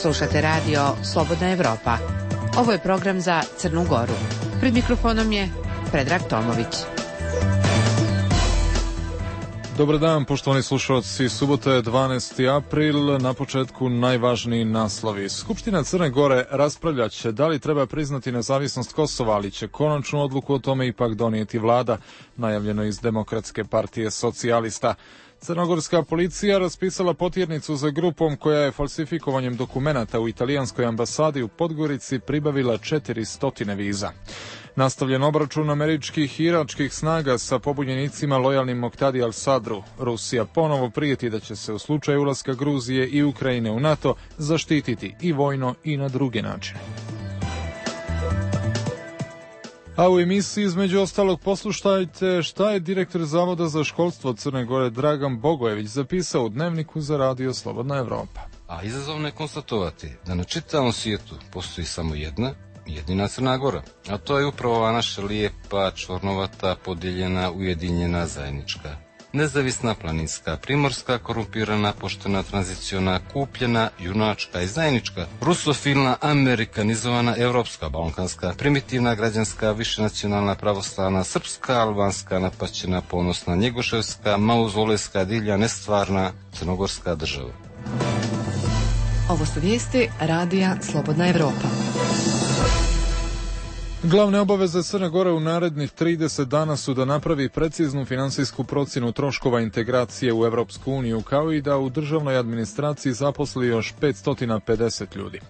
Slušate radio Slobodna Evropa. Ovo je program za Crnu Goru. Pred mikrofonom je Predrag Tomović. Dobar dan, poštovani slušalci. Subota je 12. april, na početku najvažniji naslovi. Skupština Crne Gore raspravljat će da li treba priznati nezavisnost Kosova, ali će konačnu odluku o tome ipak donijeti vlada, najavljeno iz Demokratske partije socijalista. Crnogorska policija raspisala potjernicu za grupom koja je falsifikovanjem dokumenata u italijanskoj ambasadi u Podgorici pribavila 400 viza. Nastavljen obračun američkih i iračkih snaga sa pobunjenicima lojalnim Moktadi al-Sadru. Rusija ponovo prijeti da će se u slučaju ulaska Gruzije i Ukrajine u NATO zaštititi i vojno i na druge načine. A u emisiji između ostalog poslušajte šta je direktor Zavoda za školstvo Crne Gore Dragan Bogojević zapisao u dnevniku za radio Slobodna Evropa. A izazovno je konstatovati da na čitavom svijetu postoji samo jedina Crna Gora, a to je upravo ova naša lijepa, čvornovata, podijeljena, ujedinjena, zajednička. Nezavisna, planinska, primorska, korumpirana, poštena, tranziciona, kupljena, junačka i zajednička, rusofilna, amerikanizovana, evropska, balkanska, primitivna, građanska, višenacionalna, pravoslavna, srpska, albanska, napaćena, ponosna, njegoševska, mauzolejska, divlja, nestvarna, crnogorska država. Ovo su vijesti radija Slobodna Evropa. Glavne obaveze Crne Gore u narednih 30 dana su da napravi preciznu finansijsku procjenu troškova integracije u Evropsku uniju, kao i da u državnoj administraciji zaposli još 550 ljudi.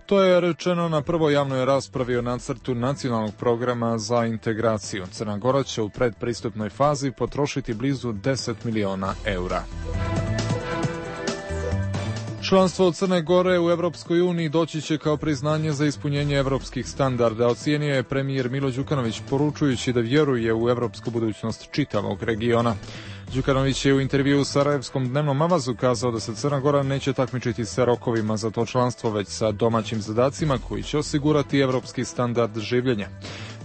To je rečeno na prvoj javnoj raspravi o nacrtu nacionalnog programa za integraciju. Crna Gora će u predpristupnoj fazi potrošiti blizu 10 miliona eura. Članstvo Crne Gore u Evropskoj uniji doći će kao priznanje za ispunjenje evropskih standarda, ocijenio je premijer Milo Đukanović poručujući da vjeruje u evropsku budućnost čitavog regiona. Đukanović je u intervjuu u Sarajevskom dnevnom avazu kazao da se Crna Gora neće takmičiti sa rokovima za to članstvo, već sa domaćim zadacima koji će osigurati evropski standard življenja.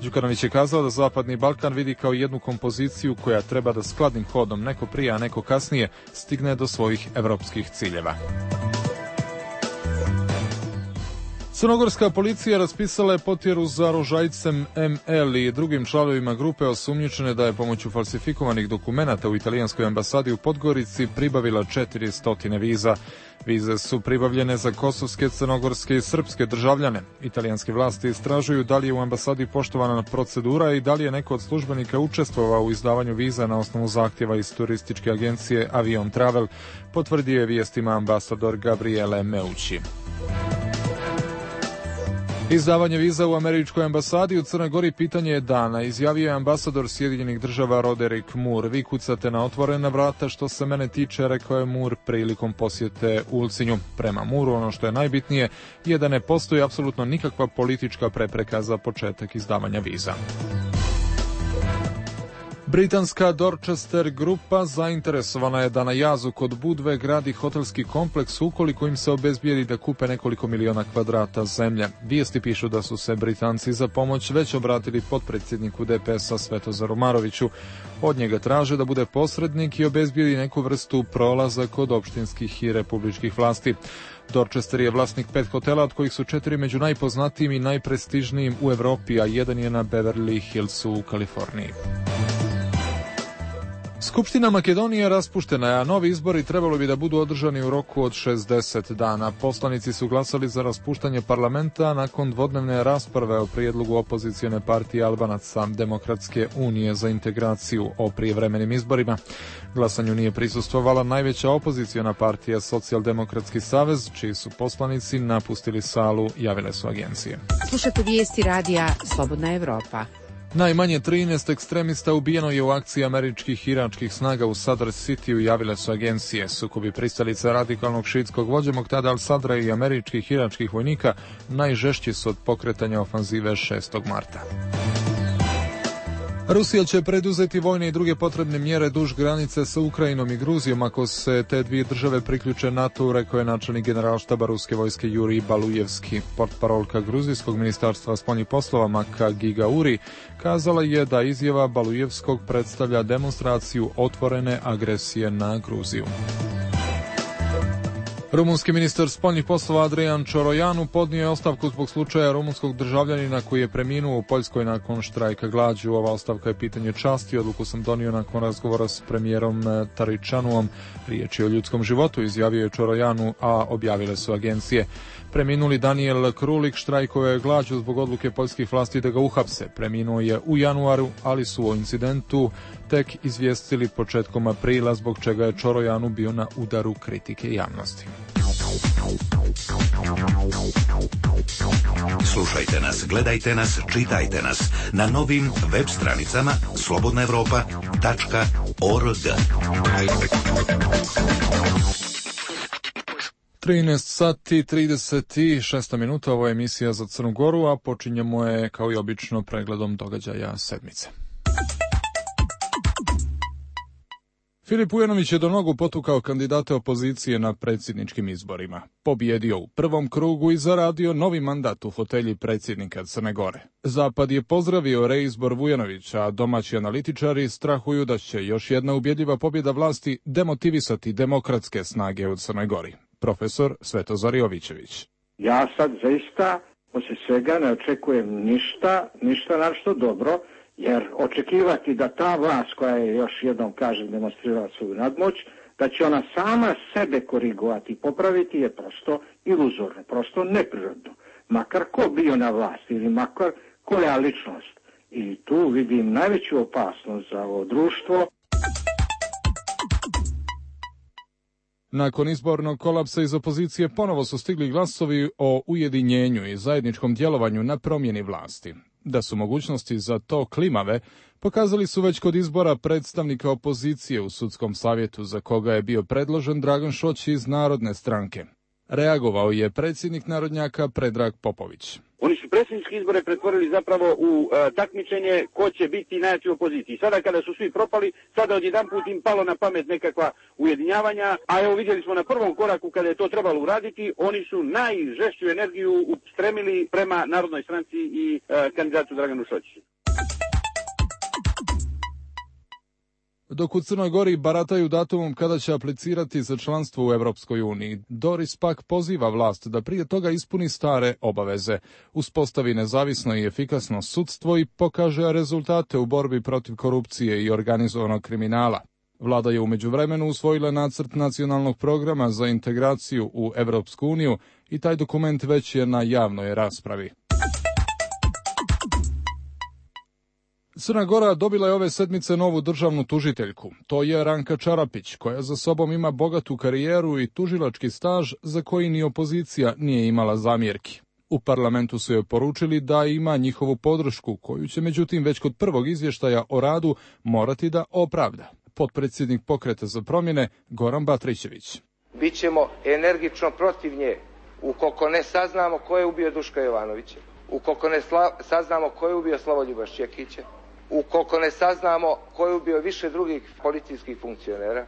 Đukanović je kazao da Zapadni Balkan vidi kao jednu kompoziciju koja treba da skladnim hodom, neko prije, a neko kasnije, stigne do svojih evropskih ciljeva. Crnogorska policija raspisala je potjeru za Rožajcem ML i drugim članovima grupe osumnjičene da je pomoću falsifikovanih dokumenata u italijanskoj ambasadi u Podgorici pribavila 400 viza. Vize su pribavljene za kosovske, crnogorske i srpske državljane. Italijanske vlasti istražuju da li je u ambasadi poštovana procedura i da li je neko od službenika učestvovao u izdavanju viza na osnovu zahtjeva iz turističke agencije Avion Travel, potvrdio je vijestima ambasador Gabriele Meucci. Izdavanje viza u američkoj ambasadi u Crnoj Gori pitanje je dana, izjavio je ambasador Sjedinjenih država Roderick Moore. Vi kucate na otvorena vrata, što se mene tiče, rekao je Moore prilikom posjete Ulcinju. Prema Mooreu ono što je najbitnije je da ne postoji apsolutno nikakva politička prepreka za početak izdavanja viza. Britanska Dorchester grupa zainteresovana je da na jazu kod Budve gradi hotelski kompleks ukoliko im se obezbijedi da kupe nekoliko miliona kvadrata zemlje. Vijesti pišu da su se Britanci za pomoć već obratili potpredsjedniku DPS-a Svetozaru Maroviću. Od njega traže da bude posrednik i obezbijedi neku vrstu prolaza kod opštinskih i republičkih vlasti. Dorchester je vlasnik 5 hotela, od kojih su 4 među najpoznatijim i najprestižnijim u Evropi, a jedan je na Beverly Hillsu u Kaliforniji. Skupština Makedonije raspuštena je, a novi izbori trebalo bi da budu održani u roku od 60 dana. Poslanici su glasali za raspuštanje parlamenta nakon dvodnevne rasprave o prijedlogu opozicione partije Albanaca Demokratske unije za integraciju o prijevremenim izborima. Glasanju nije prisustvovala najveća opoziciona partija Socijaldemokratski savez, čiji su poslanici napustili salu, javile su agencije. Slušate vijesti radija Slobodna Evropa. Najmanje 13 ekstremista ubijeno je u akciji američkih i iračkih snaga u Sadr Cityu, javile su agencije. Sukobi pristalica radikalnog šiitskog vođe Moktada al-Sadra i američkih i iračkih vojnika najžešći su od pokretanja ofanzive 6. marta. Rusija će preduzeti vojne i druge potrebne mjere duž granice sa Ukrajinom i Gruzijom ako se te dvije države priključe NATO-u, rekao je načelnik generalštaba ruske vojske Jurij Balujevski. Portparolka gruzijskog ministarstva spoljnih poslova Maka Gigauri kazala je da izjava Balujevskog predstavlja demonstraciju otvorene agresije na Gruziju. Rumunski ministar spoljnih poslova Adrian Čorojanu podnio je ostavku zbog slučaja rumunskog državljanina koji je preminuo u Poljskoj nakon štrajka glađu. Ova ostavka je pitanje časti. Odluku sam donio nakon razgovora s premijerom Taričanuom. Riječ je o ljudskom životu, izjavio je Čorojanu, a objavile su agencije. Preminuli Daniel Krulik štrajkovao je glađu zbog odluke poljskih vlasti da ga uhapse. Preminuo je u januaru, ali su o incidentu tek izvijestili početkom aprila, zbog čega je Čorojanu bio na udaru kritike javnosti. Slušajte nas, gledajte nas, čitajte nas na novim web stranicama slobodnaevropa.org. 13 sati 36 minuta, ovo je emisija za Crnu Goru, a počinjemo je kao i obično pregledom događaja sedmice. Filip Ujanović je do nogu potukao kandidate opozicije na predsjedničkim izborima. Pobjedio u prvom krugu i zaradio novi mandat u fotelji predsjednika Crne Gore. Zapad je pozdravio reizbor Vujanovića, a domaći analitičari strahuju da će još jedna ubjedljiva pobjeda vlasti demotivisati demokratske snage u Crnoj Gori. Profesor Svetozar Jovićević. Ja sad zaista poslije svega ne očekujem ništa našto dobro, jer očekivati da ta vlast koja je, još jednom kažem, demonstrirala svoju nadmoć, da će ona sama sebe korigovati i popraviti je prosto iluzorno, prosto neprirodno. Makar ko bio na vlasti ili makar koja ličnost. I tu vidim najveću opasnost za ovo društvo. Nakon izbornog kolapsa iz opozicije ponovo su stigli glasovi o ujedinjenju i zajedničkom djelovanju na promjeni vlasti. Da su mogućnosti za to klimave, pokazali su već kod izbora predstavnika opozicije u sudskom savjetu, za koga je bio predložen Dragan Šoć iz Narodne stranke. Reagovao je predsjednik narodnjaka Predrag Popović. Oni su predsjedničke izbore pretvorili zapravo u takmičenje ko će biti najjači u opoziciji. Sada kada su svi propali, sada odjedanput im palo na pamet nekakva ujedinjavanja, a evo vidjeli smo na prvom koraku kada je to trebalo uraditi, oni su najžešću energiju ustremili prema Narodnoj stranci i kandidatu Draganu Šoćiću. Dok u Crnoj Gori barataju datumom kada će aplicirati za članstvo u Europskoj uniji, Doris pak poziva vlast da prije toga ispuni stare obaveze, uspostavi nezavisno i efikasno sudstvo i pokaže rezultate u borbi protiv korupcije i organizovanog kriminala. Vlada je u međuvremenu usvojila nacrt nacionalnog programa za integraciju u Europsku uniju i taj dokument već je na javnoj raspravi. Crna Gora dobila je ove sedmice novu državnu tužiteljku. To je Ranka Čarapić, koja za sobom ima bogatu karijeru i tužilački staž za koji ni opozicija nije imala zamjerki. U parlamentu su joj poručili da ima njihovu podršku, koju će međutim već kod prvog izvještaja o radu morati da opravda. Potpredsjednik Pokreta za promjene Goran Batrićević. Bićemo energično protiv nje ukoliko ne saznamo ko je ubio Duška Jovanovića, ukoliko ne saznamo ko je ubio Slavoljuba Šćekića, ukoliko ne saznamo ko je ubio više drugih policijskih funkcionera,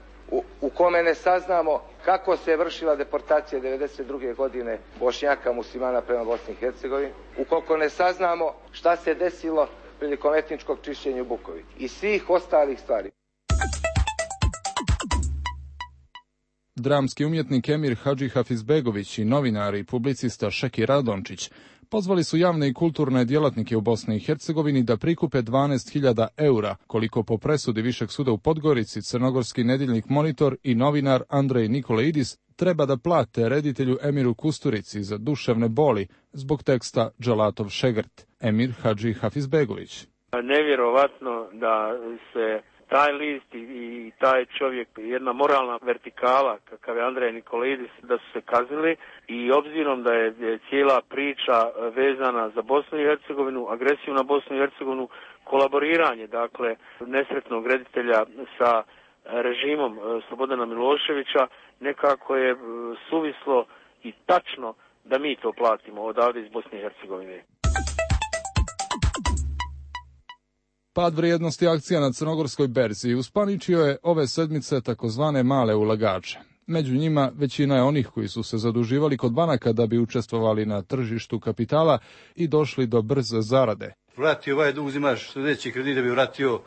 u kome ne saznamo kako se je vršila deportacija 1992. godine Bošnjaka muslimana prema Bosni i Hercegovini, ukoliko ne saznamo šta se desilo prilikom etničkog čišćenja u Bukovi i svih ostalih stvari. Dramski umjetnik Emir Hadži Hafizbegović i novinar i publicista Šeki Radončić pozvali su javne i kulturne djelatnike u Bosni i Hercegovini da prikupe 12.000 eura, koliko po presudi Višeg suda u Podgorici crnogorski nedjeljnik Monitor i novinar Andrej Nikolaidis treba da plate reditelju Emiru Kusturici za duševne boli zbog teksta Džalatov Šegrt. Emir Hadži Hafizbegović. Nevjerovatno da se taj list i taj čovjek, jedna moralna vertikala kakav je Andrej Nikolaidis, da su se kaznili i obzirom da je cijela priča vezana za Bosnu i Hercegovinu, agresiju na Bosnu i Hercegovinu, kolaboriranje, dakle, nesretnog reditelja sa režimom Slobodana Miloševića, nekako je suvislo i tačno da mi to platimo odavde iz Bosne i Hercegovine. Pad vrijednosti akcija na crnogorskoj berzi uspaničio je ove sedmice takozvane male ulagače. Među njima većina je onih koji su se zaduživali kod banaka da bi učestvovali na tržištu kapitala i došli do brze zarade. Vratio ovaj dug, uzimaš sljedeći kredit da bi vratio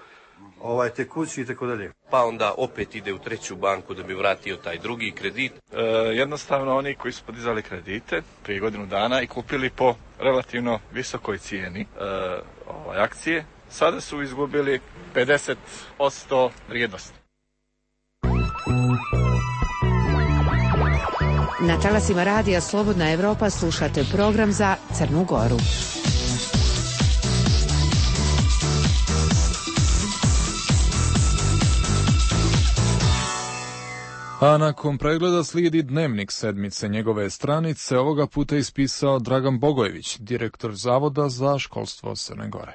tekući i tako dalje. pa onda opet ide u treću banku da bi vratio taj drugi kredit. Jednostavno oni koji su podizali kredite prije godinu dana i kupili po relativno visokoj cijeni akcije, sada su izgubili 50% vrijednosti. Na talasima radija Slobodna Evropa slušate program za Crnu Goru. A nakon pregleda slijedi dnevnik sedmice. Njegove stranice ovoga puta ispisao Dragan Bogojević, direktor Zavoda za školstvo Crne Gore.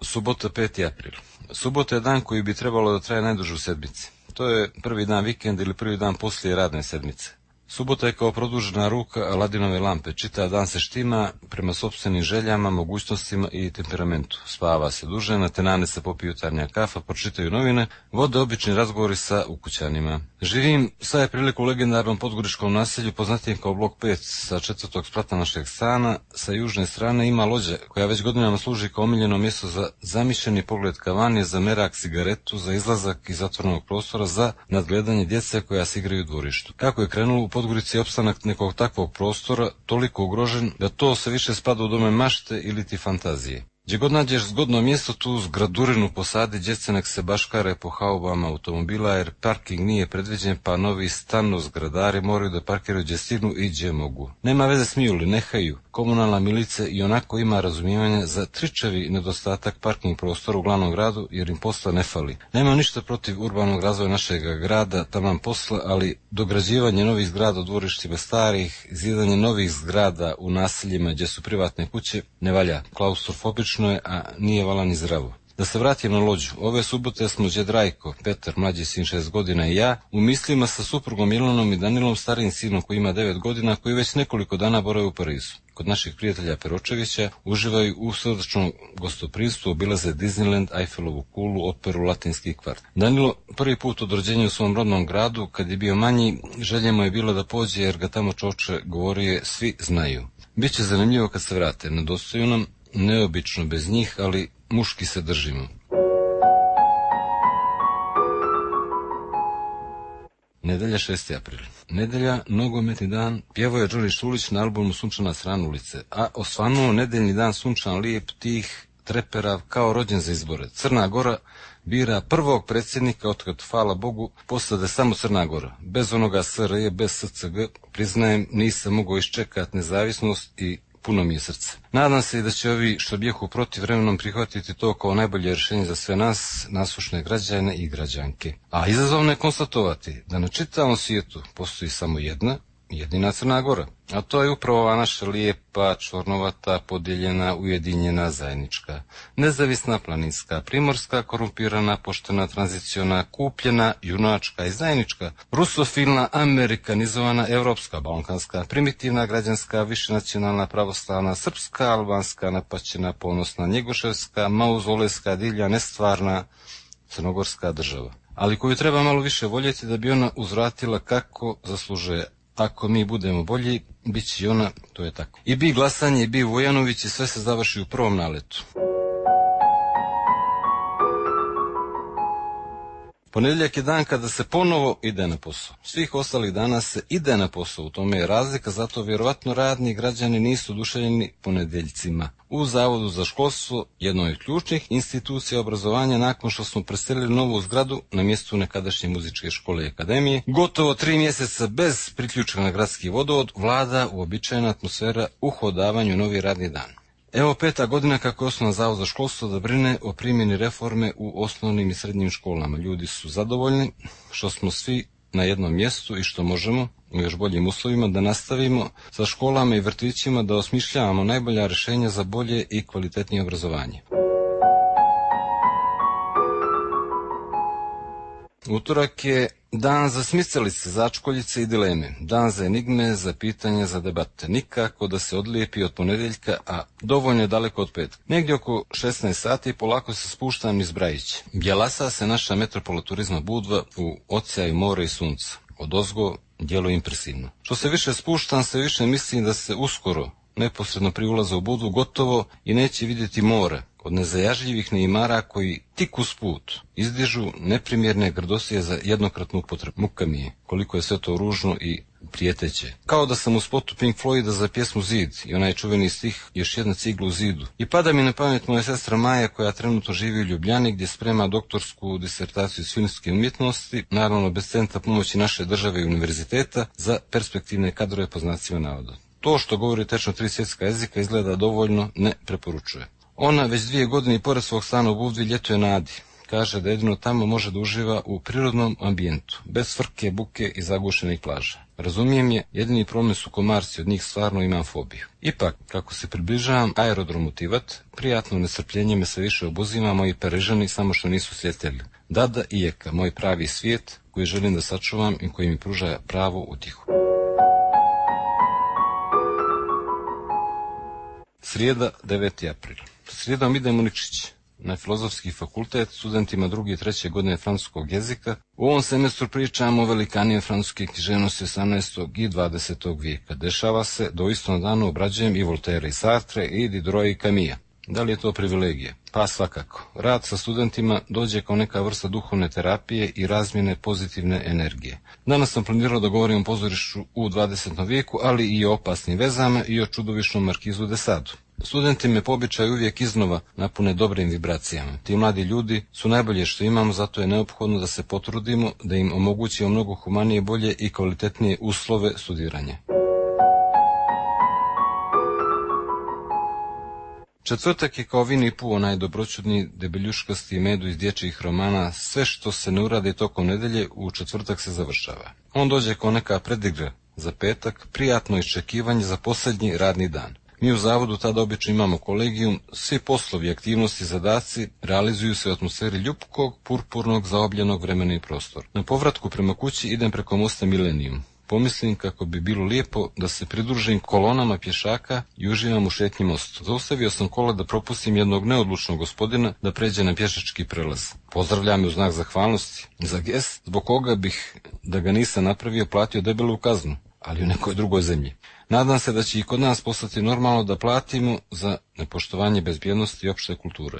Subota 5. april. Subota je dan koji bi trebalo da traje najduže u sedmici. To je prvi dan vikenda ili prvi dan poslije radne sedmice. Subota je kao produžena ruka Aladinove lampe. Čitav dan se štima prema sopstvenim željama, mogućnostima i temperamentu. Spava se duže, na tenane se popiju jutarnja kafa, pročitaju novine, vode obični razgovori sa ukućanima. Živim sad je priliku u legendarnom podgoričkom naselju, poznatijem kao blok 5 sa 4. sprata našeg stana. Sa južne strane ima lođe koja već godinama služi kao omiljeno mjesto za zamišljeni pogled kavanje, za merak cigaretu, za izlazak iz zatvornog prostora, za nadgledanje djece koja se igraju u dvorištu. Kako je krenulo u Podgorici opstanak nekog takvog prostora toliko ugrožen da to se više spada u dome mašte ili ti fantazije. Gdje god nađeš zgodno mjesto, tu zgradurinu posadi, djece nek se baškare po haubama automobila, jer parking nije predviđen, pa novi stano zgradari moraju da parkiraju gdje stignu i gdje mogu. Nema veze smiju li, nehaju. Komunalna milica i onako ima razumijevanja za tričavi nedostatak parking prostora u glavnom gradu, jer im posla ne fali. Nema ništa protiv urbanog razvoja našeg grada, taman posla, ali dograđivanje novih zgrada u dvorištima starih, zidanje novih zgrada u naseljima gdje su privatne kuće, ne valja. Klaustrofobično je, a nije vala ni zdravo. Da se vratim na lođu. Ove subote smo džed Rajko, Petar, mlađi sin 6 godina i ja, u mislima sa suprugom Milanom i Danilom, starijim sinom koji ima 9 godina, koji već nekoliko dana borave u Parizu. Kod naših prijatelja Peročevića uživaju u srdačnom gostoprimstvu, obilaze Disneyland, Eiffelovu kulu, operu, Latinski kvart. Danilo prvi put od rođenja u svom rodnom gradu, kad je bio manji, želja mu je bilo da pođe jer ga tamo čoče govorio svi znaju. Biće zanimljivo kad se vrate, nedostaju nam, neobično bez njih, ali muški se držimo. Nedelja 6. april. Nedelja, nogometni dan, pjevao je Đorđe Šulić na albumu Sunčana strana ulice, a osvanuo nedeljni dan sunčan, lijep, tih, treperav, kao rođen za izbore. Crna Gora bira prvog predsjednika otkad, hvala Bogu, postade samo Crna Gora. Bez onoga SRJ, bez SCG, priznajem, nisam mogao iščekati nezavisnost i puno mi je srce. Nadam se i da će ovi što bijehu protiv vremenom prihvatiti to kao najbolje rješenje za sve nas, nasušne građane i građanke. A izazovno je konstatovati da na čitavom svijetu postoji samo jedina Crna Gora. A to je upravo ova naša lijepa, čvornovata, podijeljena, ujedinjena, zajednička, nezavisna, planinska, primorska, korumpirana, poštena, tranziciona, kupljena, junačka i zajednička, rusofilna, amerikanizovana, evropska, balkanska, primitivna, građanska, višenacionalna, pravoslavna, srpska, albanska, napaćena, ponosna, njegoševska, mauzolejska, divlja, nestvarna, crnogorska država. Ali koju treba malo više voljeti da bi ona uzvratila kako zaslužuje. Ako mi budemo bolji, bit će i ona, to je tako. I bi glasanje, i bi Vojanović i sve se završi u prvom naletu. Ponedjeljak je dan kada se ponovo ide na posao. Svih ostalih dana se ide na posao, u tome je razlika, zato vjerovatno radni građani nisu oduševljeni ponedjeljcima. U Zavodu za školstvo, jednoj od ključnih institucija obrazovanja, nakon što smo preselili novu zgradu na mjestu nekadašnje muzičke škole i akademije, gotovo 3 mjeseca bez priključka na gradski vodovod, vlada uobičajena atmosfera uhodavanju novi radni dan. Evo 5. godina kako je osnovan Zavod za školstvo da brine o primjeni reforme u osnovnim i srednjim školama. Ljudi su zadovoljni što smo svi na jednom mjestu i što možemo u još boljim uslovima da nastavimo sa školama i vrtićima da osmišljavamo najbolja rješenja za bolje i kvalitetnije obrazovanje. Utorak je dan za smicalice, začkoljice i dileme, dan za enigme, za pitanja, za debate. Nikako da se odlijepi od ponedjeljka, a dovoljno je daleko od petka. Negdje oko 16 sati polako se spuštam iz Brajića. Bjelasa se naša metropola turizma Budva u oceanu more i sunca. Odozgo djeluje impresivno. Što se više spuštam, sve više mislim da se uskoro, neposredno pri ulazu u Budvu, gotovo i neće vidjeti more, od nezajažljivih neimara koji tik usput izdižu neprimjerne grdosije za jednokratnu upotrebu. Muka mi je koliko je sve to ružno i prijeteće. Kao da sam u spotu Pink Floyda za pjesmu Zid i onaj čuveni stih Još jedna cigla u zidu. I pada mi na pamet moja sestra Maja koja trenutno živi u Ljubljani gdje sprema doktorsku disertaciju iz filmske umjetnosti, naravno bez centra pomoći naše države i univerziteta za perspektivne kadrove po znacima navoda. To što govori tečno 3 svjetska jezika izgleda dovoljno ne preporučuje. Ona već 2 godine i pored svog stana u Budvi ljetuje na Adi. Kaže da jedino tamo može da uživa u prirodnom ambijentu, bez frke, buke i zagušenih plaža. Razumijem je, jedini problem su komarci, od njih stvarno imam fobiju. Ipak, kako se približavam aerodromu Tivat, prijatno nestrpljenje me sve više obuzima, moji Parižani samo što nisu sjetili. Dada i Eka, moj pravi svijet koji želim da sačuvam i koji mi pruža pravu utjehu. Srijeda, 9. april. Srijedom idem u Nikšić na Filozofski fakultet studentima 2. i 3. godine francuskog jezika. U ovom semestru pričamo o velikanije francuske književnosti 18. i 20. vijeka. Dešava se da u istom danu obrađujem i Voltaire i Sartre i Diderot i Camilla. Da li je to privilegija? Pa svakako. Rad sa studentima dođe kao neka vrsta duhovne terapije i razmjene pozitivne energije. Danas sam planirao da govorim o pozorištu u 20. vijeku, ali i o opasnim vezama i o čudovišnom Markizu de Sadu. Studenti me po običaju uvijek iznova napune dobrim vibracijama. Ti mladi ljudi su najbolje što imamo, zato je neophodno da se potrudimo da im omogućimo mnogo humanije, bolje i kvalitetnije uslove studiranja. Četvrtak je kao Vini Pu, onaj dobroćudni debeljuškasti medu iz dječjih romana, sve što se ne uradi tokom nedelje u četvrtak se završava. On dođe kao neka predigra za petak, prijatno iščekivanje za posljednji radni dan. Mi u zavodu tada obično imamo kolegijum, svi poslovi, aktivnosti, zadaci realizuju se u atmosferi ljubkog, purpurnog, zaobljenog vremena i prostora. Na povratku prema kući idem preko mosta Millennium. Pomislim kako bi bilo lijepo da se pridružim kolonama pješaka i uživam u šetnji mostu. Zaustavio sam kola da propustim jednog neodlučnog gospodina da pređe na pješački prelaz. Pozdravlja me u znak zahvalnosti za gest, zbog koga bih, da ga nisam napravio, platio debelu kaznu, ali u nekoj drugoj zemlji. Nadam se da će i kod nas postati normalno da platimo za nepoštovanje bezbjednosti i opšte kulture.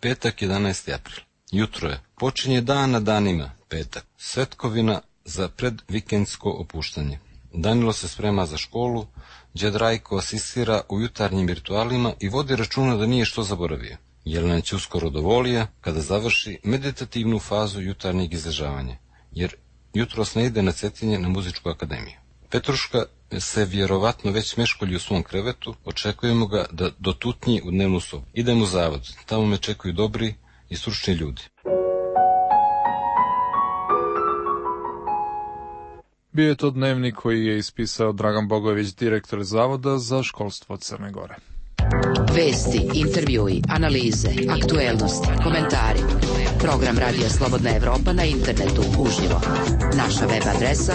Petak, 11. april. Jutro je. Počinje dan na danima, petak. Svetkovina za predvikendsko opuštanje. Danilo se sprema za školu, džed Rajko asistira u jutarnjim ritualima i vodi računa da nije što zaboravio. Jelena će uskoro dovolija kada završi meditativnu fazu jutarnjeg izležavanja, jer jutros ne ide na Cetinje na muzičku akademiju. Petruška se vjerovatno već meškolji u svom krevetu, očekujemo ga da dotutnji u dnevnu sobu. Idem u zavod, tamo me čekaju dobri i stručni ljudi. Bio je to dnevnik koji je ispisao Dragan Bogojević, direktor Zavoda za školstvo Crne Gore. Vesti, intervjui, analize, aktuelnosti, komentari. Program Radija Slobodna Evropa na internetu uživo. Naša web adresa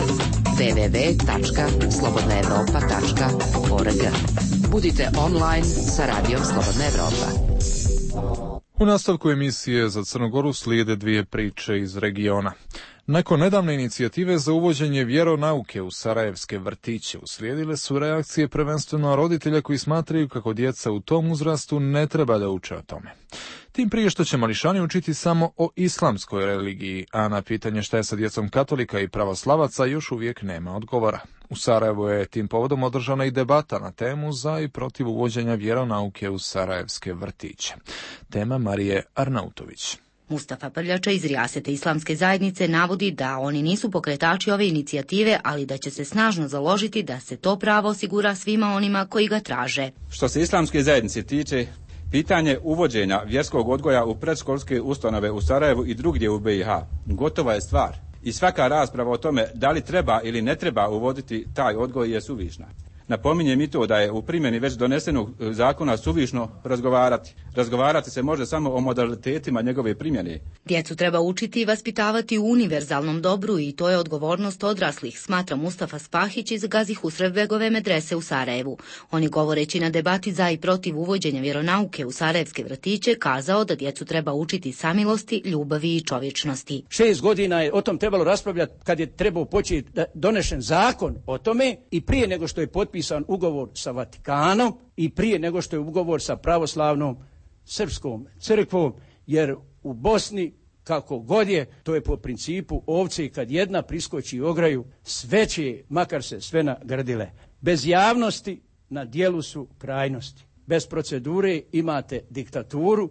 www.slobodnaevropa.org. Budite online sa Radijom Slobodna Evropa. U nastavku emisije za Crnu Goru slijede 2 priče iz regiona. Nakon nedavne inicijative za uvođenje vjeronauke u sarajevske vrtiće uslijedile su reakcije prvenstveno roditelja koji smatraju kako djeca u tom uzrastu ne treba da uče o tome. Tim prije što će mališani učiti samo o islamskoj religiji, a na pitanje šta je sa djecom katolika i pravoslavaca još uvijek nema odgovora. U Sarajevu je tim povodom održana i debata na temu za i protiv uvođenja vjeronauke u sarajevske vrtiće. Tema Marije Arnautović. Mustafa Prljača iz Rijasete islamske zajednice navodi da oni nisu pokretači ove inicijative, ali da će se snažno založiti da se to pravo osigura svima onima koji ga traže. Što se islamske zajednice tiče, pitanje uvođenja vjerskog odgoja u predškolske ustanove u Sarajevu i drugdje u BiH gotova je stvar. I svaka rasprava o tome da li treba ili ne treba uvoditi taj odgoj je suvišna. Napominjem i to da je u primjeni već donesenog zakona suvišno razgovarati. Razgovarati se može samo o modalitetima njegove primjene. Djecu treba učiti i vaspitavati u univerzalnom dobru i to je odgovornost odraslih, smatra Mustafa Spahić iz Gazi Husrevbegove medrese u Sarajevu. On je govoreći na debati za i protiv uvođenja vjeronauke u sarajevske vrtiće kazao da djecu treba učiti samilosti, ljubavi i čovječnosti. 6 godina je o tom trebalo raspravljati kad je trebao početi donešen zakon o tome i prije nego što je potpisan potpisan ugovor sa Vatikanom i prije nego što je ugovor sa pravoslavnom srpskom crkvom, jer u Bosni kako god je, to je po principu ovce, kad jedna priskoči ograju, sve će, makar se sve nagrdile. Bez javnosti na dijelu su krajnosti. Bez procedure imate diktaturu.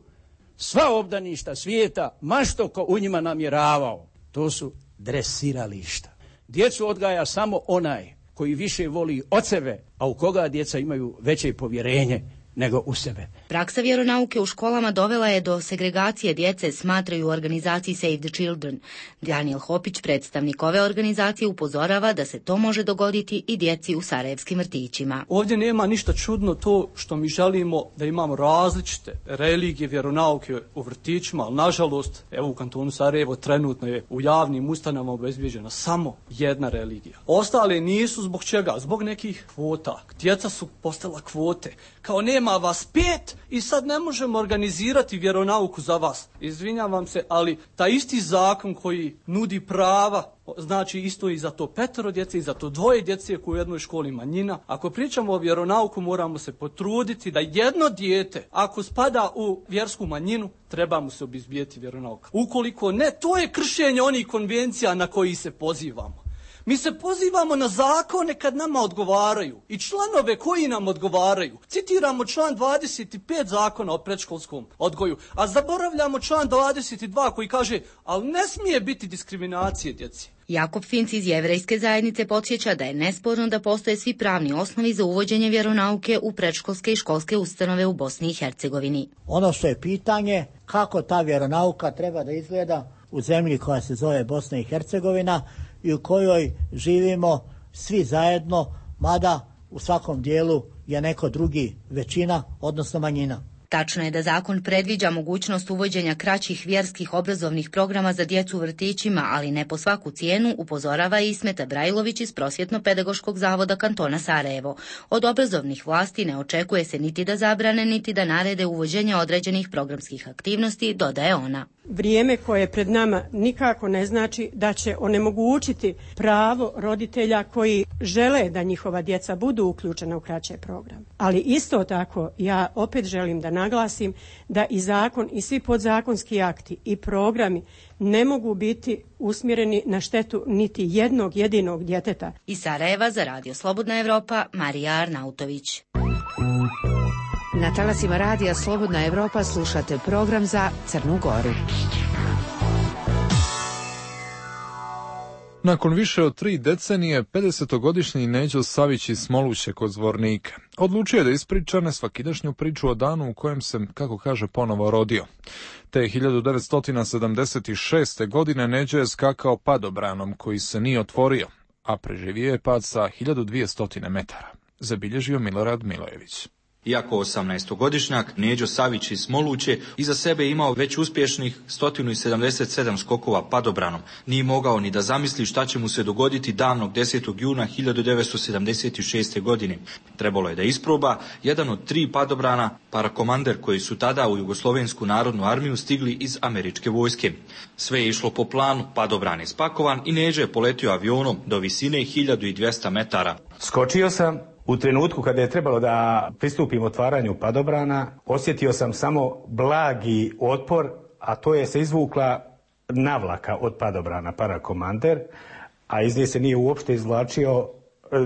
Sva obdaništa svijeta, ma što ko u njima namjeravao, to su dresirališta. Djecu odgaja samo onaj koji više voli od sebe, a u koga djeca imaju veće povjerenje nego u sebe. Praksa vjeronauke u školama dovela je do segregacije djece, smatraju u organizaciji Save the Children. Daniel Hopić, predstavnik ove organizacije, upozorava da se to može dogoditi i djeci u sarajevskim vrtićima. Ovdje nema ništa čudno to što mi želimo da imamo različite religije, vjeronauke u vrtićima, ali nažalost, evo u kantonu Sarajevo trenutno je u javnim ustanovama obezbijeđena samo jedna religija. Ostale nisu zbog čega? Zbog nekih kvota. Djeca su postala kvote. Kao nema vas 5 i sad ne možemo organizirati vjeronauku za vas. Izvinjavam se, ali taj isti zakon koji nudi prava, znači isto i za to 5 djece i za to 2 djece koji u jednoj školi manjina. Ako pričamo o vjeronauku, moramo se potruditi da jedno dijete, ako spada u vjersku manjinu, treba mu se obezbijeti vjeronauka. Ukoliko ne, to je kršenje onih konvencija na koji se pozivamo. Mi se pozivamo na zakone kad nama odgovaraju i članove koji nam odgovaraju. Citiramo član 25 zakona o predškolskom odgoju, a zaboravljamo član 22 koji kaže, ali ne smije biti diskriminacije djeci. Jakob Finc iz Jevrejske zajednice podsjeća da je nesporno da postoje svi pravni osnovi za uvođenje vjeronauke u predškolske i školske ustanove u Bosni i Hercegovini. Ono što je pitanje, kako ta vjeronauka treba da izgleda u zemlji koja se zove Bosna i Hercegovina i u kojoj živimo svi zajedno, mada u svakom dijelu je neko drugi većina, odnosno manjina. Tačno je da zakon predviđa mogućnost uvođenja kraćih vjerskih obrazovnih programa za djecu u vrtićima, ali ne po svaku cijenu, upozorava i Ismeta Brajlović iz Prosvjetno-pedagoškog zavoda kantona Sarajevo. Od obrazovnih vlasti ne očekuje se niti da zabrane, niti da narede uvođenje određenih programskih aktivnosti, dodaje ona. Vrijeme koje je pred nama nikako ne znači da će onemogućiti pravo roditelja koji žele da njihova djeca budu uključena u kraće program. Ali isto tako ja opet želim da naglasim da i zakon i svi podzakonski akti i programi ne mogu biti usmjereni na štetu niti jednog jedinog djeteta. Iz Sarajeva za Radio Slobodna Evropa, Marija Arnautović. Na talasima Radija Slobodna Evropa slušate program za Crnu Goru. Nakon više od 3 decenije, 50-godišnji Neđo Savić iz Smoluće kod Zvornika odlučio je da ispriča nesvakidašnju priču o danu u kojem se, kako kaže, ponovo rodio. Te 1976. godine Neđo je skakao padobranom koji se nije otvorio, a preživio je pad sa 1200 metara. Zabilježio Milorad Milojević. Iako 18-godišnjak, Neđo Savić iz Smoluće iza sebe imao već uspješnih 177 skokova padobranom. Nije mogao ni da zamisli šta će mu se dogoditi davnog 10. juna 1976. godine. Trebalo je da isproba jedan od 3 padobrana, parakomander koji su tada u Jugoslovensku narodnu armiju stigli iz američke vojske. Sve je išlo po planu, padobran je spakovan i Neđo je poletio avionom do visine 1200 metara. Skočio sam. U trenutku kada je trebalo da pristupim otvaranju padobrana, osjetio sam samo blagi otpor, a to je se izvukla navlaka od padobrana, parakomander, a iz nje se nije uopšte izvlačio,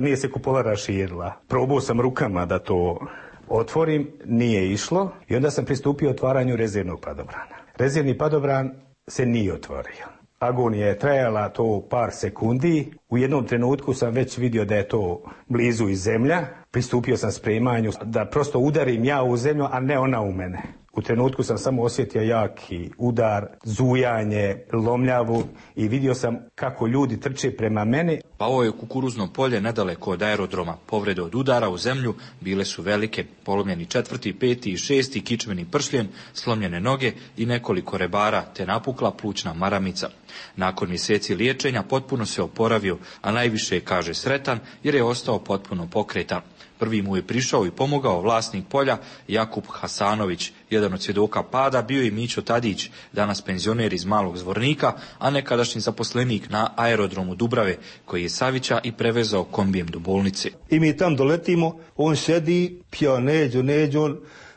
nije se kupola raširila. Probao sam rukama da to otvorim, nije išlo i onda sam pristupio otvaranju rezervnog padobrana. Rezervni padobran se nije otvorio. Agonija je trajala to par sekundi. U jednom trenutku sam već vidio da je to blizu iz zemlja. Pristupio sam spremanju da prosto udarim ja u zemlju, a ne ona u mene. U trenutku sam samo osjetio jaki udar, zujanje, lomljavu i vidio sam kako ljudi trče prema meni. Pao je u kukuruzno polje nedaleko od aerodroma. Povrede od udara u zemlju bile su velike. Polomljeni 4., 5. i 6. kičmeni pršljen, slomljene noge i nekoliko rebara te napukla plućna maramica. Nakon mjeseci liječenja potpuno se oporavio, a najviše je, kaže, sretan jer je ostao potpuno pokretan. Prvi mu je prišao i pomogao vlasnik polja Jakub Hasanović. Jedan od svjedoka pada bio je Mićo Tadić, danas penzioner iz Malog Zvornika, a nekadašnji zaposlenik na aerodromu Dubrave, koji je Savića i prevezao kombijem do bolnice. I mi tam doletimo, on sedi, pija Neđo,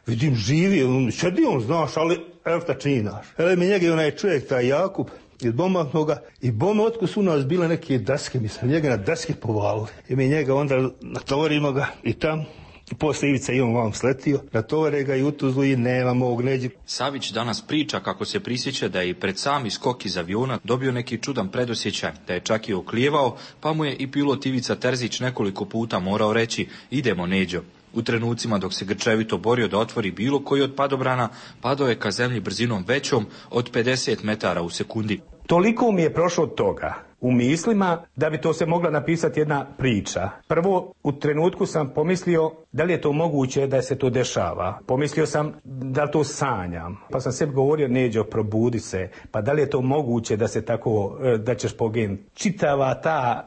vidim živi, on sedi, on znaš, ali evo šta činaš. Ele mi njega onaj čovjek, taj Jakub, iz Bombahnoga, i bome otkud su nas bile neke daske, mislim, njega na daske povalili. I mi njega onda natovarimo ga i tam, poslije Ivica i on vam sletio, natovare ga i u Tuzlu i nema mog Neđi. Savić danas priča kako se prisjeća da je i pred sami skok iz aviona dobio neki čudan predosjećaj, da je čak i oklijevao, pa mu je i pilot Ivica Terzić nekoliko puta morao reći idemo Neđo. U trenucima dok se grčevito borio da otvori bilo koji od padobrana, padao je ka zemlji brzinom većom od 50 metara u sekundi. Toliko mi je prošlo toga u mislima da bi to se mogla napisati jedna priča. Prvo, u trenutku sam pomislio da li je to moguće da se to dešava. Pomislio sam da to sanjam. Pa sam sebi govorio, Neđo, probudi se. Pa da li je to moguće da se tako, da ćeš poginuti. Čitava ta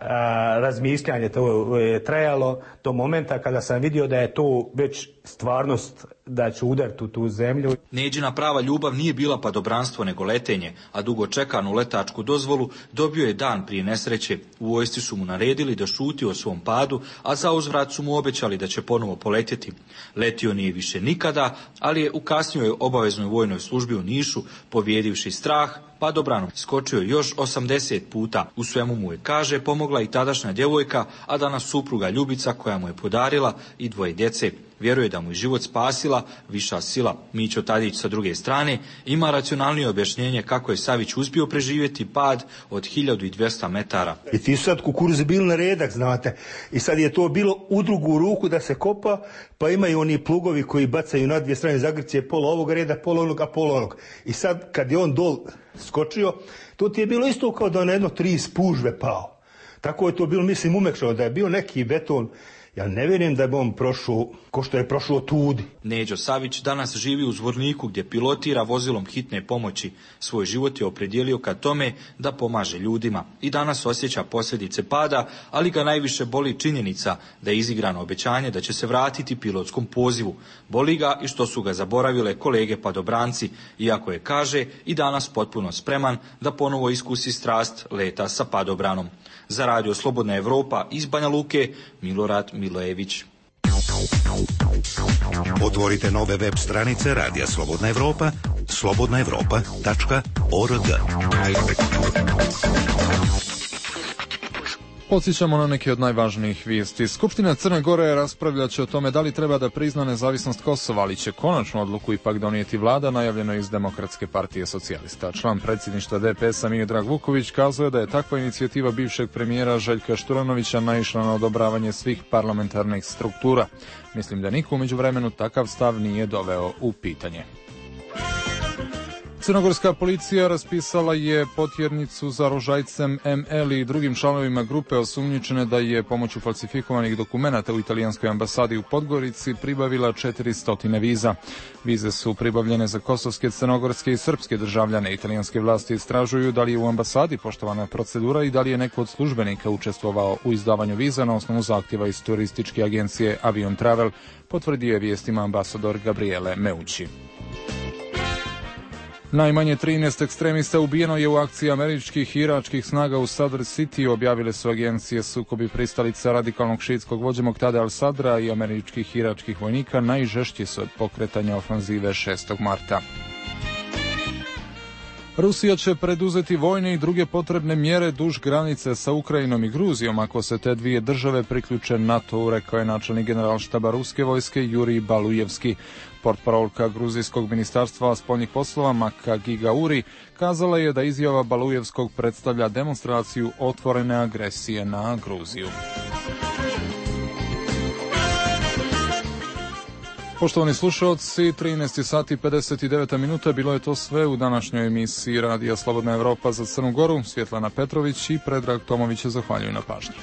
razmišljanje to je trajalo do momenta kada sam vidio da je to već stvarnost, da ću udariti u tu zemlju. Neđina prava ljubav nije bila padobranstvo nego letenje, a dugo čekanu letačku dozvolu dobio je dan prije nesreće. U vojsci su mu naredili da šuti o svom padu, a za uzvrat su mu obećali da će ponovo poletjeti. Letio nije više nikada, ali je u kasnijoj obaveznoj vojnoj službi u Nišu, pobijedivši strah, padobranom skočio još 80 puta. U svemu mu je, kaže, pomogla i tadašnja djevojka, a danas supruga Ljubica koja mu je podarila i 2 djece. Vjeruje da mu je život spasila viša sila. Mićo Tadić sa druge strane ima racionalnije objašnjenje kako je Savić uspio preživjeti pad od 1200 metara. I ti su sad kukuruzi bili na redak, znate. I sad je to bilo u drugu ruku da se kopa, pa imaju oni plugovi koji bacaju na dvije strane zagrcije, pola ovog reda, pola onog, a pola onog. I sad kad je on dol skočio, to ti je bilo isto kao da na jedno 3 spužve pao. Tako je to bilo, mislim, umekšao, da je bio neki beton. Ja ne vjerujem da je on prošao ko što je prošao tudi. Neđo Savić danas živi u Zvorniku gdje pilotira vozilom hitne pomoći. Svoj život je opredijelio ka tome da pomaže ljudima. I danas osjeća posljedice pada, ali ga najviše boli činjenica da je izigrano obećanje da će se vratiti pilotskom pozivu. Boli ga i što su ga zaboravile kolege padobranci, iako je, kaže, i danas potpuno spreman da ponovo iskusi strast leta sa padobranom. Za Radio Slobodna Evropa iz Banja Luke, Milorad Milojević. Otvorite nove web stranice Radija Slobodna Evropa, slobodnaevropa.org. Podsjećamo na neke od najvažnijih vijesti. Skupština Crne Gore raspravljat će o tome da li treba da prizna nezavisnost Kosova, ali će konačnu odluku ipak donijeti vlada, najavljeno iz Demokratske partije socijalista. Član predsjedništva DPS-a Miodrag Vuković kazuje da je takva inicijativa bivšeg premijera Željka Šturanovića naišla na odobravanje svih parlamentarnih struktura. Mislim da niko u međuvremenu takav stav nije doveo u pitanje. Crnogorska policija raspisala je potjernicu za Rožajcem ML i drugim članovima grupe osumnjičene da je pomoću falsifikovanih dokumenata u italijanskoj ambasadi u Podgorici pribavila 400 viza. Vize su pribavljene za kosovske, crnogorske i srpske državljane. Italijanske vlasti istražuju da li je u ambasadi poštovana procedura i da li je neko od službenika učestvovao u izdavanju viza na osnovu zahtjeva iz turističke agencije Avion Travel, potvrdio je vijestima ambasador Gabriele Meucci. Najmanje 13 ekstremista ubijeno je u akciji američkih i iračkih snaga u Sadr City, objavile su agencije. Sukobi pristalica radikalnog šiitskog vođe Moqtada al-Sadra i američkih i iračkih vojnika najžešći su od pokretanja ofanzive 6. marta. Rusija će preduzeti vojne i druge potrebne mjere duž granice sa Ukrajinom i Gruzijom ako se te dvije države priključe NATO-u, rekao je načelnik generalštaba ruske vojske Jurij Balujevski. Portparolka gruzijskog ministarstva spoljnih poslova Maka Gigauri kazala je da izjava Balujevskog predstavlja demonstraciju otvorene agresije na Gruziju. Poštovani slušalci, 13 sati 59 minuta, bilo je to sve u današnjoj emisiji Radija Slobodna Evropa za Crnu Goru. Svjetlana Petrović i Predrag Tomović zahvaljuju na pažnji.